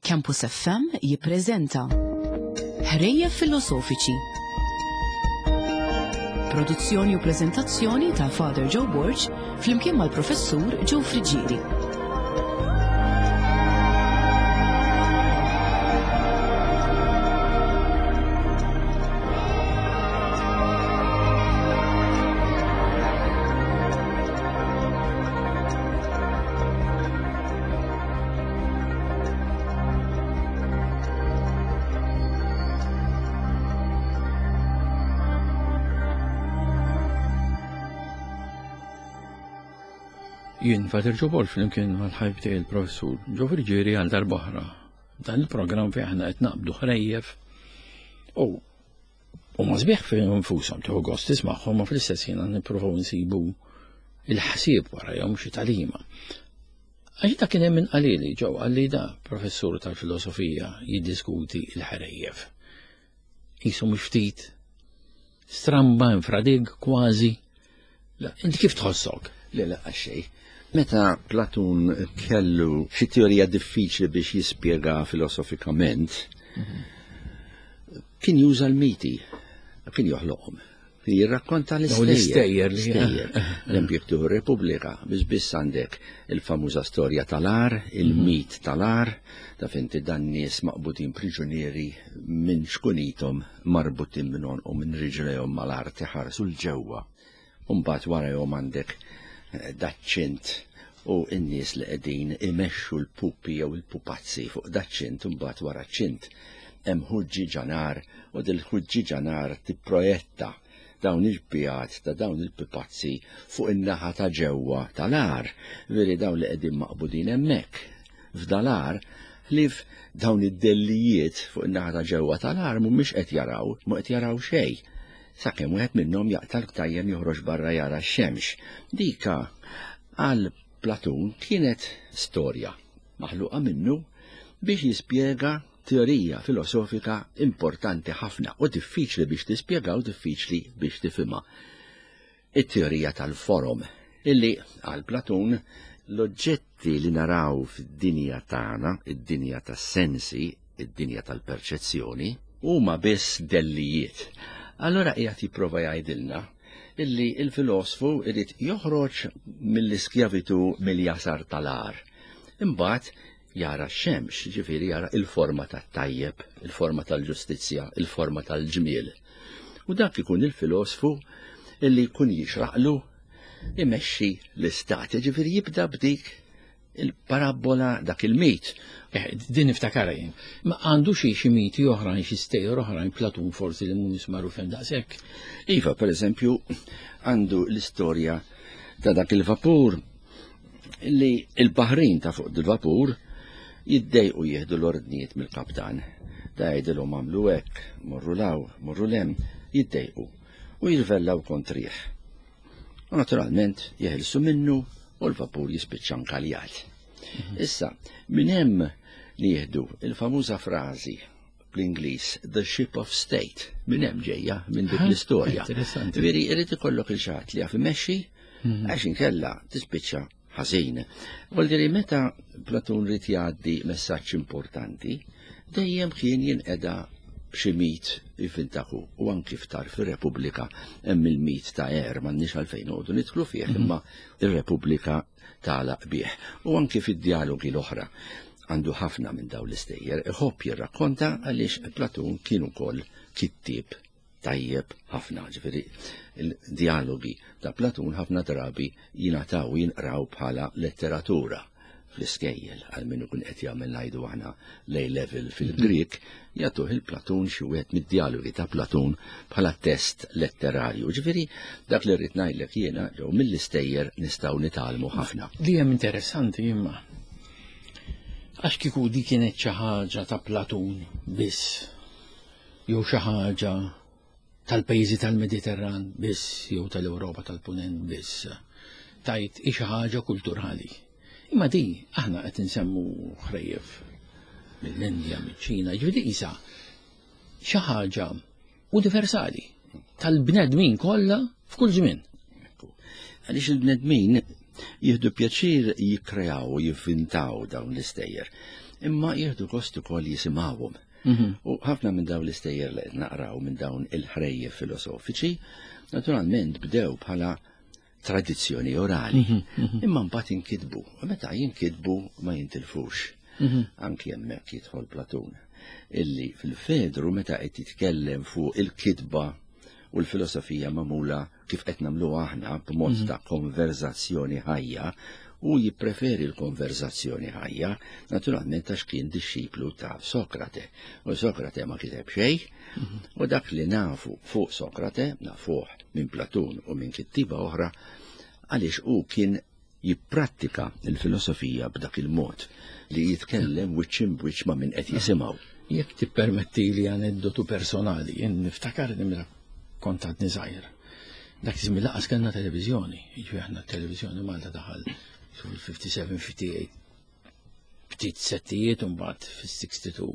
Campus FM jippreżenta Ħrejjef Filosofiċi. Produzzjoni u preżentazzjoni ta' Father Joe Borg flimkien mal-Professur Joe Friggieri. Jien Fater Ġo Borg flimkien mal-ħajb tiegħi il-professur Ġo Friggieri għal darb'oħra. Dan il-programm fejn aħna qed naqbdu ħrejjef u u ma sbieħ fejn infushom tieħu gost tismagħhom ma fl-istess ħin nippruvaw nsibu il-ħsieb warajhom xi tagħlima. Għax da kien hemm min qalili ġew qalli da professur tal-filosofija jiddiskuti l-ħrejjef. Qisu mhux ftit stramba infradig kważi. Inti kif tħossok? Le la xej. Meta Platun kellu xi teorija diffiċli biex jispjega filosofikament, mhm. kien juża l-miti, kien joħloqhom. Jirrakkonta l-istejjer. L-istejjer. L-empjek tuħu Repubblika, biex biss għandek il-famuża storja tal-ar, il-mit tal-ar, ta' finti dan nies maqbutin priġunieri minn xkunitom marbutin minn u minn riġlejhom mal-art iħarsu l-ġewwa. Umbagħad warajhom għandek eh, daċċint u n-nies li qegħdin imexxu l-pupi jew il-pupazzi fuq daċċint imbagħad wara ċint hemm ħuġġieġa nar u dil-ħuġġieġa nar tipprojetta dawn il-pijat ta' dawn il-pipazzi fuq in-naħa ta' ġewwa tal-għar, veri dawn li qegħdin maqbudin hemmhekk. F'dal-għar, ħlief dawn id-dellijiet fuq in-naħa ta' ġewwa tal-għar mhumiex qed jaraw, mhu qed jaraw xejn. Sakemm wieħed minnhom jaqta' l-ktajjem joħroġ barra jara x-xemx. Dika għal Platun kienet storja maħluqa minnu biex jispjega teorija filosofika importanti ħafna u diffiċli biex tispjega u diffiċli biex tifhimha. It-teorija tal-forom, illi għal Platun l-oġġetti li naraw fid-dinja tagħna, id-dinja tas-sensi, id-dinja tal-perċezzjoni, huma biss dellijiet. Allora qiegħed jipprova jgħidilna illi il-filosfu irid joħroġ mill-iskjavitu mill-jasar tal-għar. Imbagħad jara x-xemx, ġifieri jara il-forma tat-tajjeb, il-forma tal-ġustizzja, il-forma tal-ġmiel. U dak ikun il-filosfu illi jkun jixraqlu imexxi l-istat, ġifieri jibda b'dik il-parabola dak il-mit. Eh, din niftakara jien. Ma għandu xi xi miti oħrajn, xi stejjer oħrajn Platun forsi li mhumiex magħrufin daqshekk. Iva, per eżempju, għandu l-istorja ta' dak il-vapur li il-baħrin ta' fuq il-vapur jiddejqu jieħdu l-ordnijiet mill-kaptan. Da jgħidilhom għamlu hekk, morru law, morru lem, jiddejqu u jirvellaw kontrih. U naturalment jeħilsu minnu u l-vapur jispiċċa nkaljat. Mhm. Issa, minn hemm li jieħdu il-famuża frażi bl-Ingliż The Ship of State, minn hemm ġejja minn dik l-istorja. Veri, irid ikollok il-xatt li jaf imexxi mhm. għax inkella tispiċċa ħażin. Vuol meta Platun rid jgħaddi messaġġ importanti, dejjem kien jinqeda b'xi mit jfintaħu u anki ftar fir-Repubblika hemm il-mit ta' Er m'għandniex għalfejn noqogħdu nidħlu fih mhm. imma ir-Repubblika tagħlaq bih. U anki fid-dialogi l-oħra għandu ħafna minn dawn l-istejjer, iħobb jirrakkonta għaliex Platun kien ukoll kittieb tajjeb ħafna, ġifieri il-dialogi ta' Platun ħafna drabi jingħataw jinqraw bħala letteratura fl-iskejjel għal min ikun qed jagħmel ngħidu aħna l level fil-Grieg jagħtuh il-Platun xi wieħed mid-dialogi ta' Platun bħala test letterarju. Ġifieri dak li rrid ngħidlek jiena ġew mill-istejjer nistgħu nitgħallmu ħafna. Li hemm interessanti imma għax kieku di kienet xi ħaġa ta' Platun biss jew xi ħaġa tal-pajjiżi tal-Mediterran biss jew tal-Ewropa tal-Punent biss. Tajt hi xi ħaġa kulturali. Imma di aħna qed insemmu ħrejjef mill-Indja, miċ-Ċina, ġifieri isa xi ħaġa universali tal-bnedmin kollha f'kull żmien. Għaliex il-bnedmin jieħdu pjaċir jikkreaw u jivvintaw dawn l-istejjer. Imma jieħdu gost ukoll jisimgħuhom. U ħafna minn dawn l-istejjer li qed naqraw minn dawn il-ħrejjef filosofiċi, naturalment bdew bħala tradizzjoni orali. Imma mbagħad inkitbu, u meta jinkitbu ma jintilfux. Anki hemmhekk jidħol Platun, illi fil-Fedru meta qed jitkellem fuq il-kitba u l-filosofija magħmula kif qed nagħmluha aħna b'mod ta' konverzazzjoni ħajja, u jippreferi l-konverzazzjoni ħajja, naturalment għax kien dixxiplu ta' Sokrate. U Sokrate ma kiteb xejn, u dak li nafu fuq Sokrate, nafuh minn Platun u minn kittiba oħra, għaliex hu kien jipprattika l-filosofija b'dak il-mod li jitkellem wiċċ imbwiċċ ma' min qed jisimgħu. Jekk tippermettili aneddotu personali, jien niftakar li meta kont għadni żgħir. Dak iż-żmien lanqas kellna televiżjoni, jiġifieri aħna t-televiżjoni Malta daħal fil-57, 58 ftit settijiet u mbagħad fis-62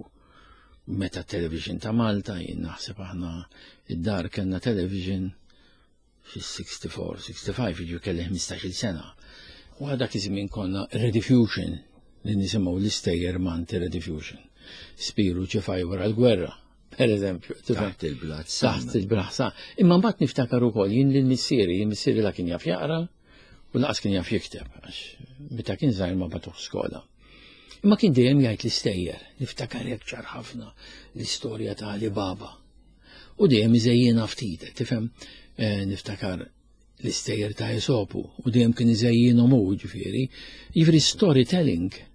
meta television ta' Malta, jien naħseb aħna id-dar kellna television fis-64, 65, jiġifieri kelli 15-il sena. U għal dak iż-żmien konna Rediffusion li nisimgħu l-istejjer Manti Rediffusion. Spiru ċifaj wara l-gwerra, per eżempju. Taħt il-blat. Taħt il-blat sa. Imma mbagħad niftakar ukoll jien lil missieri, jien missieri la kien jaf jaqra u laqas kien jaf jikteb, għax meta kien żgħir ma bagħtuh skola. Imma kien dejjem jgħid l-istejjer, niftakar hekk ċar ħafna l-istorja ta' Ali Baba. U dejjem iżejjinha ftit, tifhem, niftakar l-istejjer ta' Esopu, u dejjem kien iżejjinhom hu, ġifieri. Jiġifieri storytelling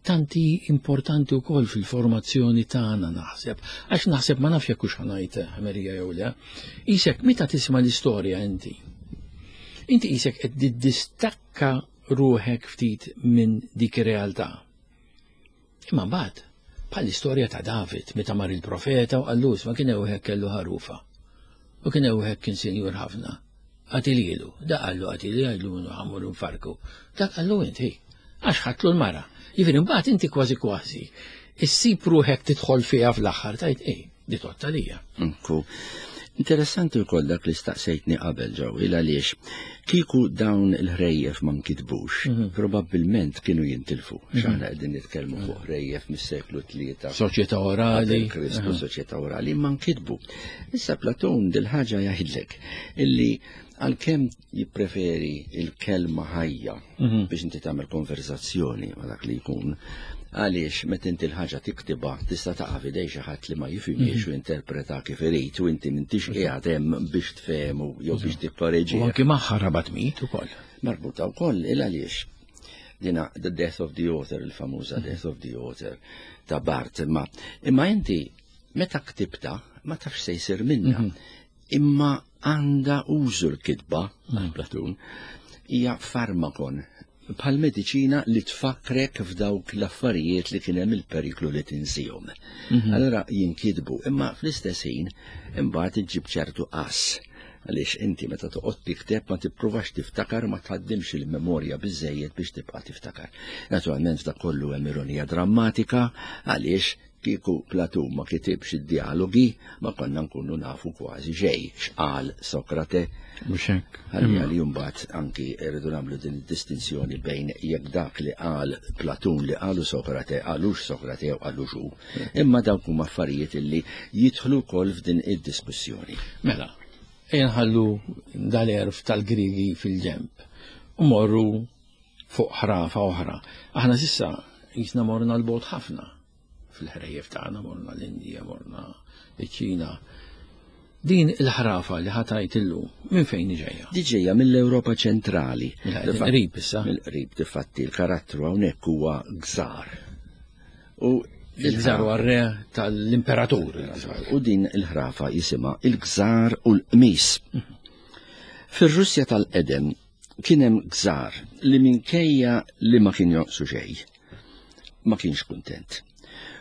tanti importanti wkoll fil-formazzjoni tagħna naħseb, għax naħseb ma nafx jekk hux ħanajt ħmerija jew le. Isek meta tisma' l-istorja inti, inti isek qed tiddistakka ruħek ftit minn dik ir-realtà. Imma mbagħad, bħall-istorja ta' David meta mar il-profeta u qallu ma kien hemm wieħed kellu ħarufa. U kien hemm wieħed kien sinjur ħafna. Qatililu, da qallu qatili għidlu minnu ħamur nfarku. Dak qallu inti, għax ħadtlu l-mara. Jiġifieri mbagħad inti kważi kważi issib ruħek tidħol fiha fl-aħħar tgħid ej, di totta lija. Nku. Interessanti wkoll dak li staqsejtni qabel ġew il għaliex kieku dawn il-ħrejjef ma nkitbux, probabbilment kienu jintilfu. X'aħna qegħdin nitkellmu fuq ħrejjef mis-seklu tlieta. Soċjetà orali. Qabel Kristu, soċjetà orali, ma nkitbu. Issa Platun dil-ħaġa jgħidlek illi għalkemm jippreferi il-kelma ħajja biex inti tagħmel konverzazzjoni ma' dak li jkun, għaliex meta inti l-ħaġa tiktibha tista' taqa' f'idej xi ħadd li ma jifhimhiex u jinterpreta kif irid u inti m'intix qiegħed hemm biex tfehmu jew biex tikkoreġih. U anki magħha rabat mit ukoll. Marbuta wkoll il għaliex dina The Death of the Author, il-famuża Death of the Author ta' Barth, imma inti meta ktibta ma tafx se jsir minnha. Imma għandha użu l-kitba, għal Platun, hija farmakon, bħal mediċina li tfakkrek f'dawk l-affarijiet li kien hemm il-periklu li tinsihom. Allora jinkitbu, imma fl-istess ħin imbagħad iġġib ċertu qass, għaliex inti meta toqgħod tikteb ma tippruvax tiftakar, ma tħaddimx il-memorja biżżejjed biex tibqa' tiftakar. Naturalment f'dak kollu hemm ironija drammatika, għaliex kieku Platun ma kitibx id-dialogi ma konna nkunu nafu kważi xejn x'qal Sokrate. Mhux hekk. Ħalli għal mbagħad anki rridu nagħmlu din id-distinzjoni bejn jekk dak li qal Platun li qalu Sokrate qalux Sokrate jew qalux hu. Imma dawk huma affarijiet illi jidħlu wkoll f'din id-diskussjoni. Mela, ejja nħallu dal-għerf tal-Griegi fil-ġenb u morru fuq ħrafa oħra. Aħna sissa jisna morna l-bogħod ħafna fil-ħrejjef tagħna, morna l-Indija, morna ċ-Ċina. Din il-ħrafa li ħatajt illum, minn fejn ġejja? Di ġejja mill-Ewropa ċentrali. Mill-qrib issa. Mill-qrib, difatti, il-karattru hawnhekk huwa gżar. U il-gżar huwa re tal-imperatur. U din il-ħrafa jisimha il-gżar u l-qmis. Fir-Russja tal-qedem kien hemm gżar li minkejja li ma kien jonqsu xejn, ma kienx kuntent.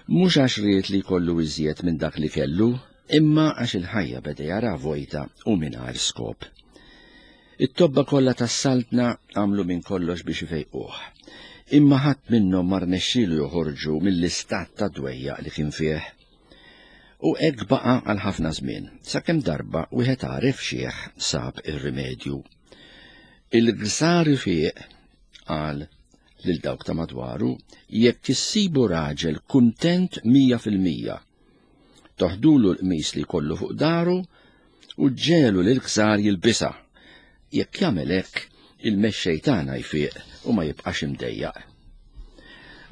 Mhux għax ried li jkollu iżjed minn dak li kellu, imma għax il-ħajja beda jara vojta u mingħajr skop. It-tobba kollha tas-saltna għamlu minn kollox biex ifejquh, imma ħadd minnhom ma rnexxielu joħorġu mill-istat ta' dwejjaq li kien fih. U hekk baqa' għal ħafna żmien, sakemm darba wieħed għaref xiħ sab ir-rimedju. Il-gżar ifiq, qal, lil dawk ta' madwaru, jekk issibu raġel kuntent 100%, toħdulu l-qmis li jkollu fuq daru u ġġegħlu lill-gżar jilbisha. Jekk jagħmel hekk, il-mexxej tagħna jfiq u ma jibqax imdejjaq.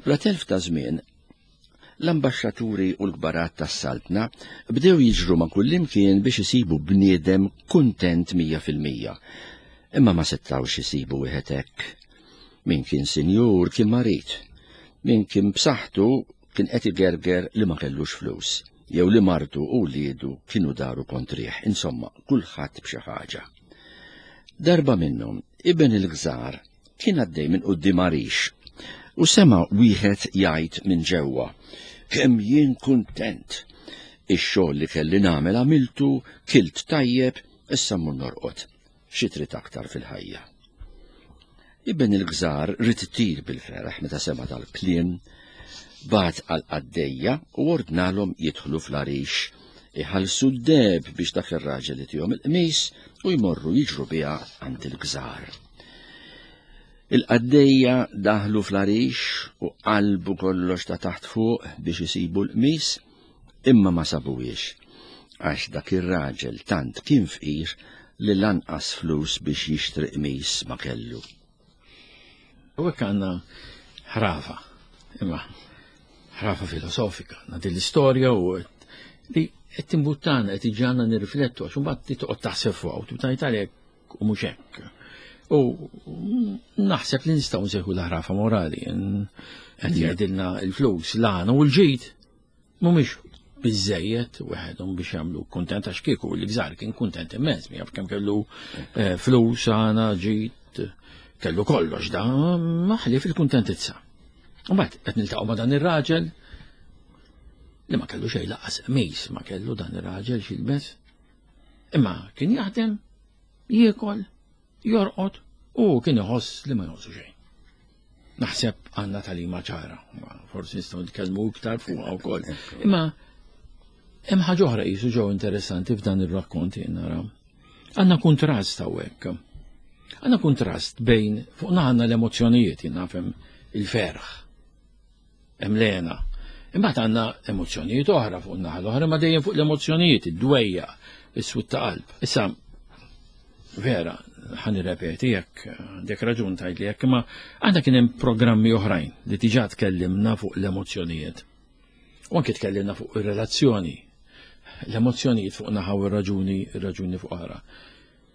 Bla telf ta' żmien, l-ambaxxaturi u l-kbarat tas-saltna bdew jiġru ma' kullimkien biex isibu bniedem kuntent 100%. Imma ma setgħux isibu wieħed hekk. Min kien sinjur kien marid, min kien b'saħħtu kien qed igerger li ma kellux flus, jew li martu u wliedu kienu daru kontrih, insomma, kulħadd b'xi ħaġa. Darba minnhom, iben il-gżar kien għaddej minn quddiem għarix u sema' wieħed jgħid minn ġewwa, Kemm jien kuntent! Ix-xogħol li kelli nagħmel għamiltu, kilt tajjeb, issa mmur norqod. Xi trid aktar fil-ħajja? Iben il-gżar ried itir bil-ferħ meta sema' dal-kliem. Bagħat għall-qaddejja u ordnalhom jidħlu fl-għarix, iħallsu d-deheb biex dak ir-raġel itihom il-qmis u jmorru jiġru biha għand il-gżar. Il-qaddejja daħlu fl-għarix u qalbu kollox ta' taħt fuq biex isibu l-qmis, imma ma sabuhiex, għax dak ir-raġel tant kien fqir li lanqas flus biex jixtri qmis ma kellu. U hekk għandna ħrafa, imma ħrafa filosofika, għandna din l-istorja u li qed timbuttana qed iġġagħalna nirriflettu għax imbagħad toqgħod taħseb fuqha u tibda tgħid għalhekk u mhux hekk. U naħseb li nistgħu nsejħu l-ħrafa morali, qed jgħidilna l-flus, l-għana u l-ġid Mhumiex biżejjed weħedhom biex jagħmlu kuntent għax kieku li gżar kien kuntent immens, jaf kemm kellu eh, flus għana ġid, kellu kollox da maħli fil-kuntentizza. U mbagħad qed niltaqgħu ma' dan ir-raġel li ma kellu xejn laqas qmis ma kellu dan ir-raġel x'ilbes. Imma kien jaħdem, jiekol, jorqod u kien iħoss li ma jonqsu xejn. Naħseb għandna talima ċara, forsi nistgħu nitkellmu iktar fuqha wkoll. Imma hemm ħaġa oħra qisu ġew interessanti f'dan ir-rakkont jien nara. Għandna kuntrast hawnhekk. Għandna kuntrast bejn fuq għandna l-emozzjonijiet jien nafhem il-ferħ. Hemm l-għena. Imbagħad għandna emozzjonijiet oħra fuq naħa l-oħra, ma dejjem fuq l-emozzjonijiet, id-dwejja, is-swit ta' qalb. Issa, vera, ħan nirrepeti jekk għandek raġun tgħidli jekk, imma għandna kien hemm programmi oħrajn li diġà tkellimna fuq l-emozzjonijiet. U anke tkellimna fuq ir-relazzjoni, l-emozzjonijiet fuq naħa u r-raġuni, ir-raġuni fuq oħra.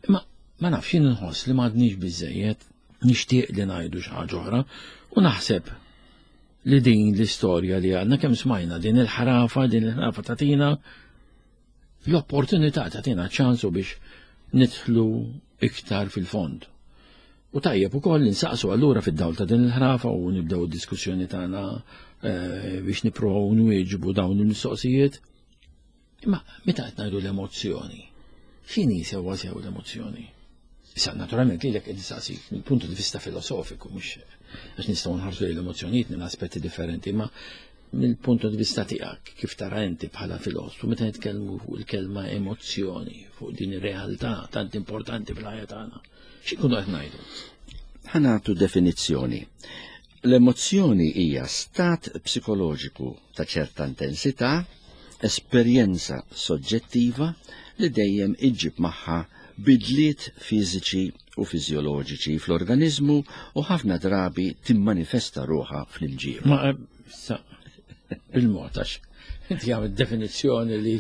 Imma ma nafx jien nħoss li m'għadniex biżejjed nixtieq li ngħidu xi ħaġa oħra u naħseb li din l-istorja li għadna kemm smajna din il-ħrafa, din il-ħrafa tagħtina l-opportunità tagħtina ċansu biex nidħlu iktar fil-fond. U tajjeb ukoll insaqsu allura fid-dawl ta' din il-ħrafa u nibdew id-diskussjoni tagħna eh, biex nippruvaw nwieġbu dawn il-mistoqsijiet. Imma meta qed ngħidu l-emozzjoni, x'inhi sewwa sew l-emozzjoni? Issa naturalment lilek qed nistaqsik mill-punt di vista filosofiku mhux għax nistgħu nħarsu lejn l-emozzjonijiet minn aspetti differenti, imma mill-punt di vista tiegħek kif tara inti bħala filosfu meta nitkellmu fuq il-kelma emozzjoni, fuq din ir-realtà tant importanti fil-ħajja tagħna. X'inkunu qed ngħidu? Ħa nagħtu definizzjoni. L-emozzjoni hija stat psikoloġiku ta' ċerta intensità, esperjenza soġġettiva li dejjem iġġib magħha bidliet fiżiċi u fiżjoloġiċi fl-organiżmu u ħafna drabi timmanifesta ruħha fl-imġiba. Ma eh, sa bil-mod għax inti għamil definizzjoni li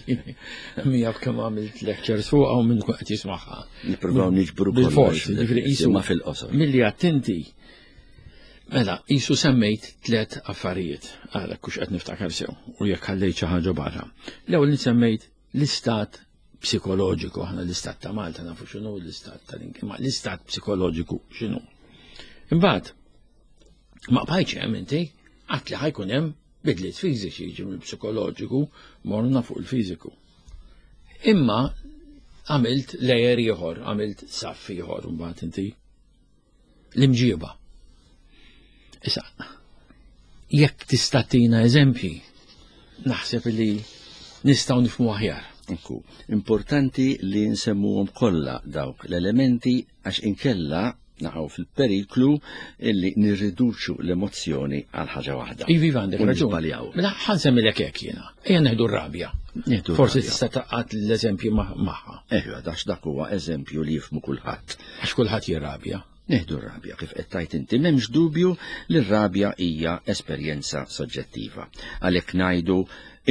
mija kemm għamilt lectures fuqha u minn qed jismagħha. Nippruvaw niġbru kollox. Ġifieri qisu ma fil-qosor. Milli attenti Mela, qisu semmejt tlet affarijiet, għalhekk kux qed niftakar sew, u jekk ħallejt xi ħaġa barra. L-ewwel li semmejt l-istat psikoloġiku, aħna l-istat ta' Malta nafu x'inhu l-istat ta' ma l-istat psikoloġiku x'inhu. Imbagħad, ma bqajtx hemm inti, għad li ħajkun hemm bidliet fiżiċi jiġu mill-psikoloġiku morna fuq il-fiżiku. Imma għamilt layer ieħor, għamilt saff ieħor mbagħad inti. L-imġieba. Issa, jekk tista' tina eżempji, naħseb li nistgħu nifhmu aħjar. Ekku, importanti li nsemmuhom kollha dawk l-elementi għax inkella Naqgħu fil-periklu illi nirriduċu l-emozzjoni għal ħaġa waħda. Ivi għandek raġun. Mela ħa nsemmilek hekk jiena. Ejja neħdu r-rabja. Forsi tista' taqgħad l-eżempju magħha. Eħja, dax dak huwa eżempju li jifmu kulħadd. Għax kulħadd jirrabja. Neħdu r-rabja kif qed tgħid inti m'hemmx dubju li r-rabja hija esperjenza soġġettiva. Għalhekk ngħidu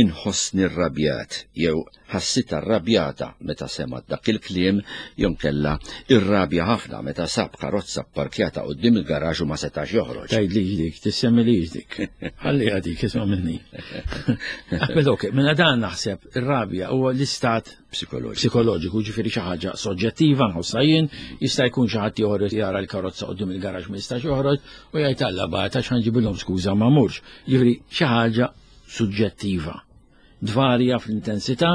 inħossni rrabjat jew ħassitha rrabjata meta semgħet dak il-kliem jew inkella irrabja ħafna meta sab karozza pparkjata quddiem il-garaxx u ma setax joħroġ. Tgħidlix dik, tissemmilix dik. Ħalliha dik, isma' minni. Mela ok, mela dan naħseb ir-rabja huwa l-istat psikoloġiku. Psikoloġiku, ġifieri xi ħaġa soġġettiva nħossha jien, jista' jkun xi ħadd ieħor jara l-karozza quddiem il-garaxx ma jistax joħroġ u jgħid Alla bagħat għax ħanġibilhom skuża ma murx. Ġifieri xi ħaġa suġġettiva. Dvarja fl-intensità,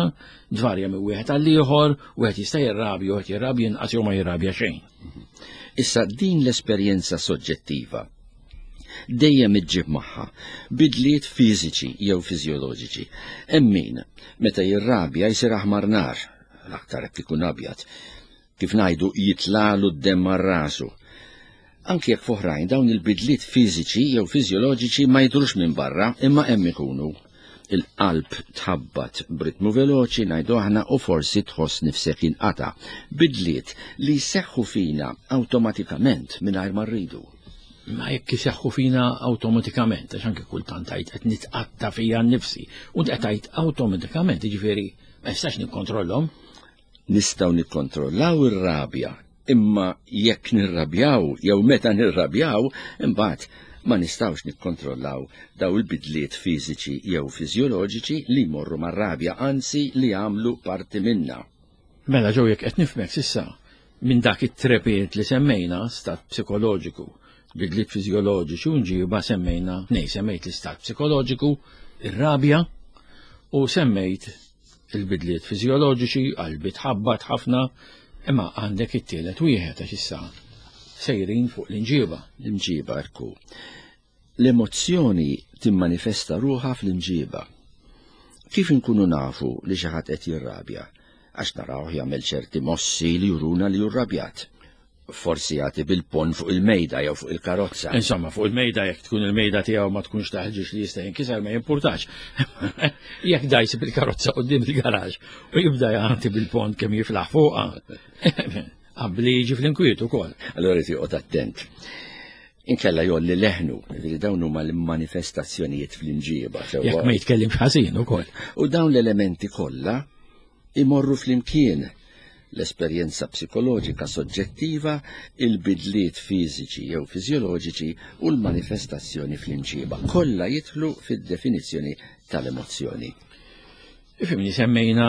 dvarja minn wieħed għal ieħor, wieħed jista' jirrabja, wieħed jirrabja inqas jew ma jirrabja xejn. Issa din l-esperjenza soġġettiva dejjem iġġib magħha bidliet fiżiċi jew fiżjoloġiċi. Hemm min meta jirrabja jsir aħmar nar, l-aktar jekk ikun abjad. Kif ngħidu jitlalu d-demm għal rasu. Anki jekk f'oħrajn dawn il-bidliet fiżiċi jew fiżjoloġiċi ma jidhrux minn barra imma hemm ikunu. Il-qalb tħabbat b'ritmu veloċi ngħidu aħna u forsi tħoss nifsek jinqata'. Bidliet li jseħħu fina awtomatikament mingħajr ma rridu. Ma jekk iseħħu fina awtomatikament, għax anke kultant tgħid qed nitqatta' fija nnifsi, u qed tgħid awtomatikament, jiġifieri ma nistax nikkontrollhom. Nistgħu nikkontrollaw ir-rabja, imma jekk nirrabjaw jew meta nirrabjaw, imbagħad ma nistgħux nikkontrollaw daw il-bidliet fiżiċi jew fiżjoloġiċi li jmorru mar-rabja, anzi li jagħmlu parti minna. Mela ġew jekk qed nifhmek s'issa, minn dak it-trepied li semmejna, stat psikoloġiku, bidliet fiżjoloġiċi u nġiba semmejna tnej, semmejt l-istat psikoloġiku, ir-rabja, u semmejt il-bidliet fiżjoloġiċi, qalbi tħabbat ħafna, imma għandek it-tielet wieħed għax issa sejrin fuq l-inġiba. L-imġiba ekku. L-emozzjoni timmanifesta ruħha fl-imġiba. Kif inkunu nafu li xi ħadd qed jirrabja? Għax narawh jagħmel ċerti mossi li juruna li hu rrabjat. Forsi jagħti bil-ponn fuq il-mejda jew fuq il-karozza. Insomma, fuq il-mejda jekk tkun il-mejda tiegħu ma tkunx taħġiex li jista' jinkiser ma jimpurtax. Jekk dajsi bil-karozza quddiem il-garaġ u jibda jagħti bil-ponn kemm jiflaħ fuqha. Qabli jiġi fl-inkwiet ukoll. Allura jrid joqgħod attent. Inkella jolli leħnu, li dawn huma l-manifestazzjonijiet fl-imġieba. Jekk ma jitkellimx ħażin ukoll. U dawn l-elementi kollha imorru flimkien l-esperjenza psikoloġika soġġettiva, il-bidliet fiżiċi jew fiżjoloġiċi u l-manifestazzjoni fl-imġiba. Kollha jidħlu fid-definizzjoni tal-emozzjoni. Ifimni semmejna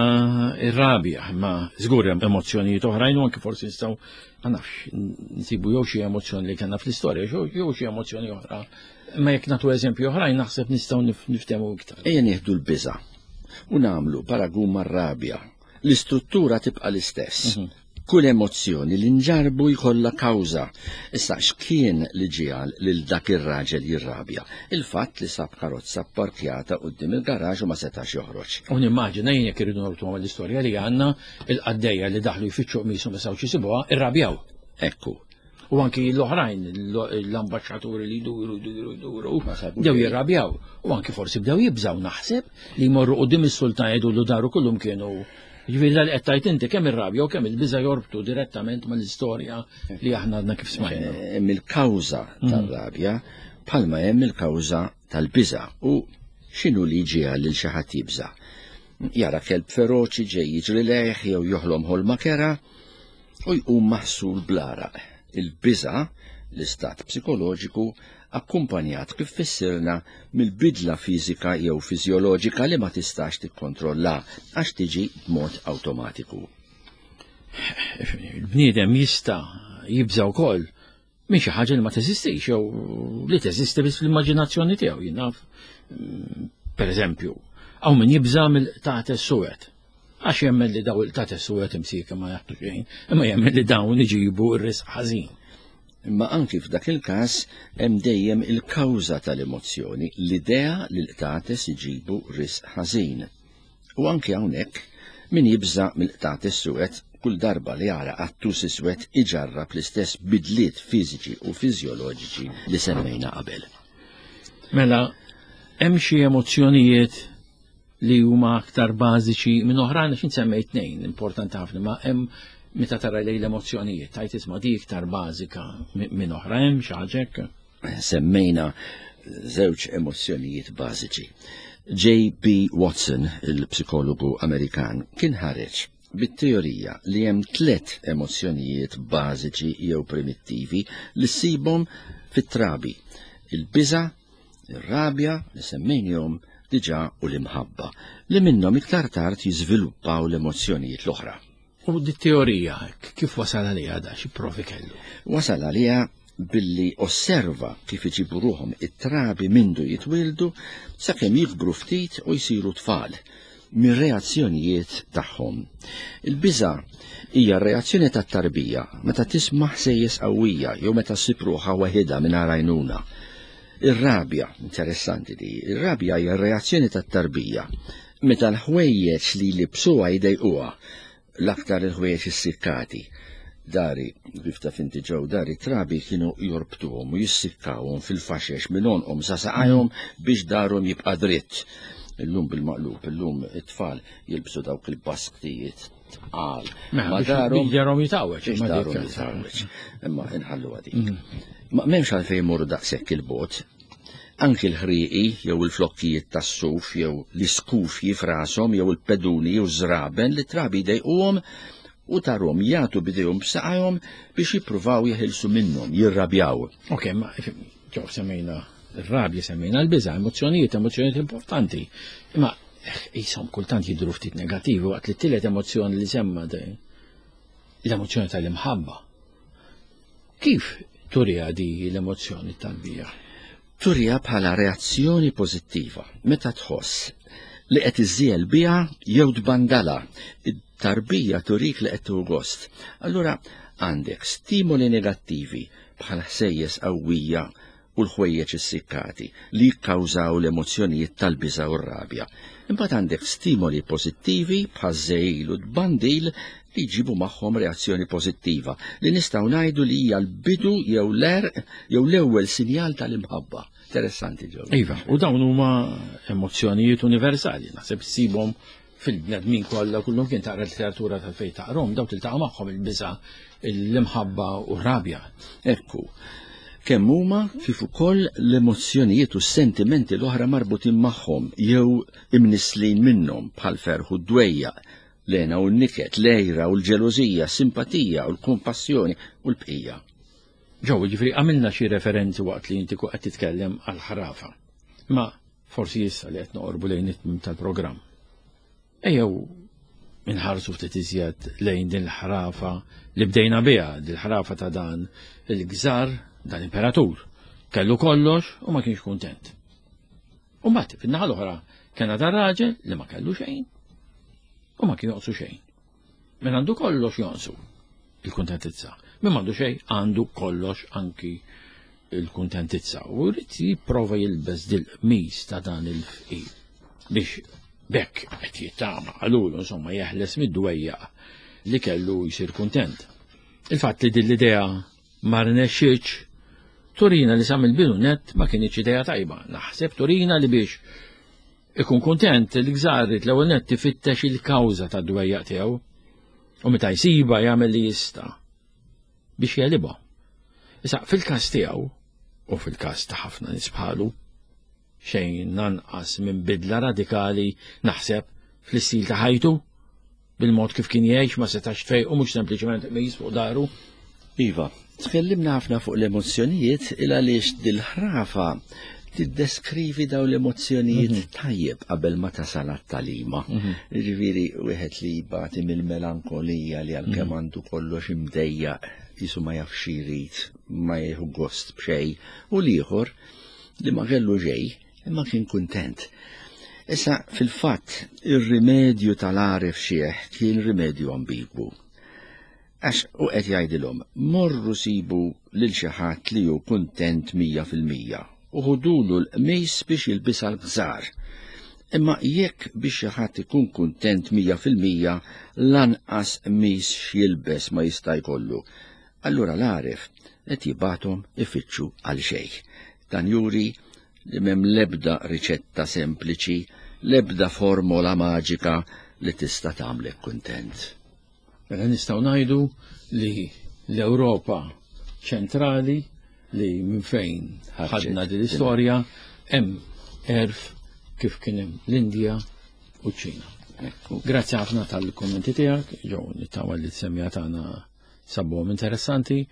ir-rabja, imma żgur hemm emozzjonijiet oħrajn u anke forsi nistgħu ma nafx nsibu jew xi emozzjoni li kellna fl-istorja jew xi emozzjoni oħra. Imma jekk nagħtu eżempju oħrajn naħseb nistgħu niftehmu iktar. Ejja nieħdu l-biża' u nagħmlu paragun mar-rabja. L-istruttura tibqa' l-istess. Mhm. Kull emozzjoni li nġarbu jkollha kawża. Issa x'kien li ġiegħel lil dak ir-raġel jirrabja? Il-fatt li sab karozza pparkjata quddiem il-garaxx u ma setax joħroġ. U nimmaġina jien jekk irridu norbtu mal-istorja li għandna il-qaddejja li daħlu jfittxu qmisu ma setgħux isibuha, irrabjaw. Ekku. U anki l-oħrajn, l-ambaxxaturi li jduru, jduru, jduru, bdew jirrabjaw. U anki forsi bdew jibżaw naħseb li jmorru quddiem is-sultan jgħidu daru kullum kienu. Ġifieri dal qed tgħid inti kemm ir-rabja u kemm il-biża' jorbtu direttament mal-istorja li aħna għadna kif smajna. Eh, hemm il-kawża mhm. tar-rabja bħalma hemm il-kawża tal-biża' u x'inhu li ġiegħel lil xi ħadd jibża'. Jara kelb feroċi ġej jiġri lejh jew joħlom ħolma kera, u jqum maħsul bl-għaraq. Il-biża', l-istat psikoloġiku, akkumpanjat kif fissirna mill-bidla fiżika jew fiżjoloġika li ma tistax tikkontrolla għax tiġi b'mod awtomatiku. Il-bniedem jista' jibża' wkoll minn xi ħaġa li ma teżistix jew li teżisti biss fl-immaġinazzjoni tiegħu jien naf. Mm, per eżempju, hawn min jibża' mill-qtates suwed. Għax jemmen li daw il-qtates suwed imsieka ma jaħtu xejn, imma jemmen li dawn iġibu r-risq ħażin. Imma anki f'dak il-każ hemm dejjem il-kawża tal-emozzjoni, l-idea li l-qtates iġibu risq ħażin. U anki hawnhekk min jibża' mill-qtates suwed. Kull darba li jara qattus iswed iġarrab l-istess bidliet fiżiċi u fiżjoloġiċi li semmejna qabel. Mela, hemm xi emozzjonijiet li huma aktar bażiċi minn oħrajn għax semmejt tnejn importanti ħafna, ma hemm meta tara lejn l-emozzjonijiet, tajt isma' di iktar bażika minn oħra hemm xi ħaġa hekk? Semmejna żewġ emozzjonijiet bażiċi. J.B. Watson, il-psikologu Amerikan, kien ħareġ bit-teorija li hemm tlet emozzjonijiet bażiċi jew primittivi li ssibhom fit-trabi: il-biża', ir-rabja li semmejnihom diġà u l-imħabba, li minnhom iktar tard jiżviluppaw l-emozzjonijiet l-oħra. U di teorija kif wasal għaliha da xi provi kellu? Wasal għaliha billi osserva kif iġibu ruħhom it-trabi mindu jitwieldu sakemm jikbru ftit u jsiru tfal mir-reazzjonijiet tagħhom. Il-biża' hija r-reazzjoni tat-tarbija meta tisma' ħsejjes qawwija jew meta ssib ruħha waħidha mingħajr għajnuna. Ir-rabja, interessanti di, ir-rabja hija r-reazzjoni tat-tarbija meta l-ħwejjeġ li jlibbsuha jdejquha, l-aktar il-ħwejjeġ issikkati. Dari, kif taf inti ġew dari trabi kienu jorbtuhom u jissikkawhom fil-faxex minn għonqhom sa saqajhom biex darhom jibqa' dritt. Illum bil-maqlub, illum it-tfal jilbsu dawk il-basktijiet tqal. Mela, ma darhom darhom jitgħawweġ. Biex darhom jitgħawweġ. Imma inħallu għadik. Mm. Ma m'hemmx għalfejn imorru daqshekk il-bot. Anki l-ħrieqi jew il-flokkijiet tas-suf jew l-iskufji f'rashom jew il-peduni u ż-żraben li trabi jdejquhom u tarhom jagħtu b'idejhom b'saqajhom biex jippruvaw jeħilsu minnhom, jirrabjaw. Ok, ma ġew semmejna r-rabja, semmejna l-biża', emozzjonijiet, emozzjonijiet importanti. Imma jisom kultant jidhru ftit negattivi waqt li t-tielet emozzjoni li semma l-emozzjoni tal-imħabba. Kif turiha di l-emozzjoni tal-bija? Turiha bħala reazzjoni pożittiva meta tħoss li qed iżżiel biha jew tbandala. Tarbija turik li qed tieħu gost. Allura għandek stimoli negattivi bħal ħsejjes qawwija u l-ħwejjeġ issikkati li jikkawżaw l-emozzjonijiet tal-biża' u r-rabja. Imbagħad għandek stimoli pożittivi bħaż-żegħil u t-tbandil li jġibu magħhom reazzjoni pożittiva li nistgħu ngħidu li hija l-bidu jew l-għerq jew l-ewwel sinjal tal-imħabba. Interessanti ġew. Iva, u dawn huma emozzjonijiet universali, naħseb issibhom fil-bnedmin kollha kullum kien taqra literatura tal-fejn taqrom, daw tiltaqa' magħhom il-biża', l-imħabba u r-rabja. Ekku, kemm huma kif ukoll l-emozzjonijiet u s-sentimenti l-oħra marbutin magħhom jew imnisslin minnhom bħal ferħ u d-dwejjaq, l-hena u n-niket, l-għira u l-ġelożija, s-simpatija u l-kumpassjoni u l-bqija. Ġew, jiġifieri għamilna xi referenzi waqt li inti qed titkellem għall-ħrafa. Ma forsi issa li qed noqorbu lejn it-tmiem tal-programm. Ejjew inħarsu ftit iżjed lejn din l-ħrafa li bdejna biha, din l-ħrafa ta' dan il-gżar, dan imperatur. Kellu kollox u ma kienx kuntent. U mbagħad fin-naħa l-oħra kena dan raġel li ma kellu xejn u ma kien joqsu xejn. Min għandu kollox jonqsu il-kuntentizza. Min m'għandu xejn għandu kollox anki il-kuntentizza. U rrid jipprova jilbes dil-qmis ta' dan il-fqir biex bekk qed jittama għalulu insomma jeħles mid-dwejjaq li kellu jsir kuntent. Il-fatt li din l-idea ma rnexxietx turina li sa mill-bidu net ma kienx idea tajba. Naħseb turina li biex Ikun kuntent li gżarrit l-ewwel nett ifittex il-kawża tad-dwejjaq tiegħu u meta jsibha jagħmel li jista' biex jegħlibha. Issa fil-każ tiegħu u fil-każ ta' ħafna nies bħalu, xejn anqas minn bidla radikali naħseb fl-istil ta' ħajtu bil-mod kif kien jgħix ma setax tfejqu mhux sempliċement qmis fuq daru. Iva, tkellimna ħafna fuq l-emozzjonijiet il għaliex dil-ħrafa tiddeskrivi daw l-emozzjonijiet mhm. tajjeb qabel ma tasal għat-talima. Mhm. Ġifieri wieħed li jbati mill-melankolija li għalkemm mhm. għandu kollox imdejjaq jisu ma jafx jrid, ma jieħu gost b'xejn, u l-ieħor li ma kellu xejn imma kien kuntent. Issa, fil-fatt, ir-rimedju tal-għaref xiħ kien rimedju ambigwu. Għax u qed jgħidilhom, morru sibu lil xi ħadd li hu kuntent 100% u ħudulu l-qmis biex jilbisha l-gżar. Imma jekk biex xi ħadd ikun kuntent 100% lanqas qmis x'jilbes ma jista' jkollu, allura l-għaref qed jibgħathom ifittxu għal xejn. Dan juri li m'hemm l-ebda riċetta sempliċi, l-ebda formola maġika li tista' tagħmlek kuntent. Mela nistgħu ngħidu li l-Ewropa ċentrali li minn fejn ħadna din l-istorja hemm għerf kif kien hemm l-Indja u ċ-Ċina. Grazzi ħafna tal-kommenti tiegħek, ġew nittama li t-semja tagħna sabuhom interessanti.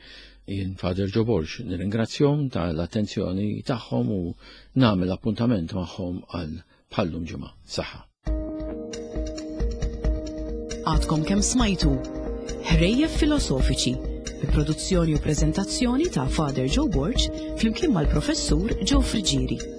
Jien Father Joe Borg nirringrazzjahom tal-attenzjoni tagħhom u nagħmel appuntament magħhom għal bħallum ġimgħa. Saħħa. Għadkom kemm smajtu Ħrejjef Filosofiċi bi produzzjoni u preżentazzjoni ta' Father Joe Borg flimkien mal-Professur Joe Friggieri.